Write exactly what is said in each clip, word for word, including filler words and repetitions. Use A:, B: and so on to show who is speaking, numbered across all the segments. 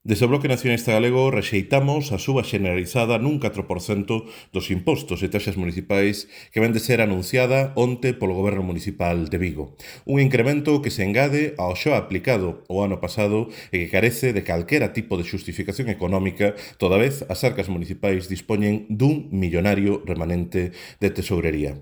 A: Desde o Bloque Nacionalista Galego rexeitamos a suba xeneralizada nun catro por cento dos impostos e taxas municipais que ven de ser anunciada onte polo Goberno Municipal de Vigo. Un incremento que se engade ao xa aplicado o ano pasado e que carece de calquera tipo de xustificación económica, toda vez as arcas municipais dispoñen dun millonario remanente de tesourería.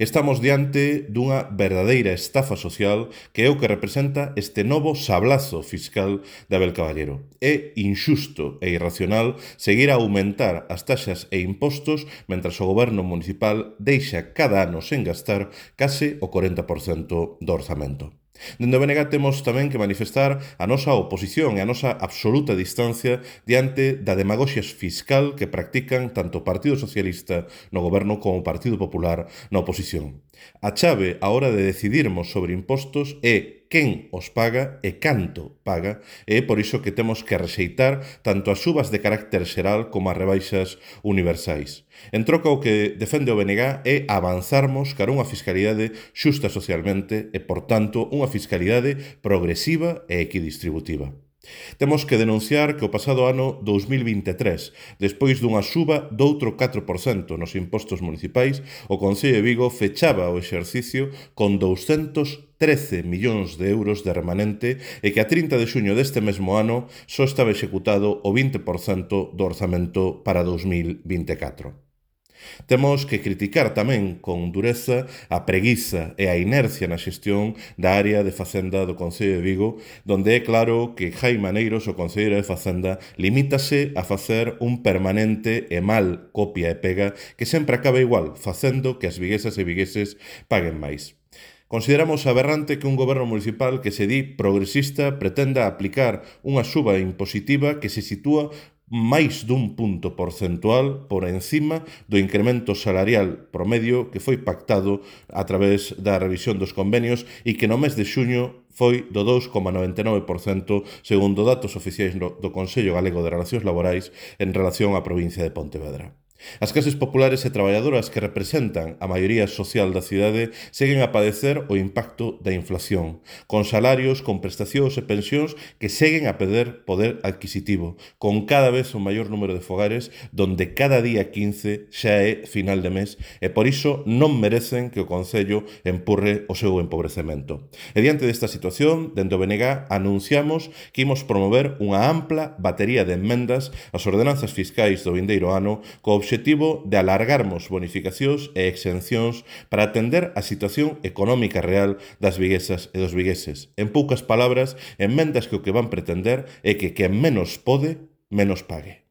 A: Estamos diante dunha verdadeira estafa social que é o que representa este novo sablazo fiscal de Abel Caballero. É inxusto e irracional seguir a aumentar as taxas e impostos mentras o goberno municipal deixa cada ano sen gastar case o corenta por cento do orzamento. Dende o B N G temos tamén que manifestar a nosa oposición e a nosa absoluta distancia diante da demagoxia fiscal que practican tanto o Partido Socialista no goberno como o Partido Popular na oposición. A chave á hora de decidirmos sobre impostos é quen os paga e canto paga, e é por iso que temos que rexeitar tanto as subas de carácter xeral como as rebaixas universais. En troca, o que defende o B N G é avanzarmos cara unha fiscalidade xusta socialmente e, por tanto, unha fiscalidade progresiva e equidistributiva. Temos que denunciar que o pasado ano dous mil vinte e tres, despois dunha suba doutro catro por cento nos impostos municipais, o Concello de Vigo fechaba o exercicio con douscentos trece millóns de euros de remanente e que a trinta de xuño deste mesmo ano só estaba executado o vinte por cento do orzamento para dous mil vinte e catro. Temos que criticar tamén con dureza a preguiza e a inercia na xestión da área de Facenda do Concello de Vigo, donde é claro que Jaime Aneiros, o concelleiro de Facenda, limítase a facer un permanente e mal copia e pega que sempre acaba igual, facendo que as viguesas e vigueses paguen máis. Consideramos aberrante que un goberno municipal que se di progresista pretenda aplicar unha suba impositiva que se sitúa máis dun punto porcentual por encima do incremento salarial promedio que foi pactado a través da revisión dos convenios e que no mes de xuño foi do dous coma noventa e nove por cento segundo datos oficiais do Consello Galego de Relacións Laborais en relación á provincia de Pontevedra. As clases populares e traballadoras que representan a maioría social da cidade seguen a padecer o impacto da inflación, con salarios, con prestacións e pensións que seguen a perder poder adquisitivo, con cada vez un maior número de fogares donde cada día quince xa é final de mes e por iso non merecen que o Concello empurre o seu empobrecemento. E diante desta situación, dende o B N G anunciamos que imos promover unha ampla batería de enmendas ás ordenanzas fiscais do vindeiro ano co obxectivo objetivo de alargarmos bonificacións e exencións para atender a situación económica real das viguesas e dos vigueses. En poucas palabras, enmendas que o que van pretender é que quen menos pode, menos pague.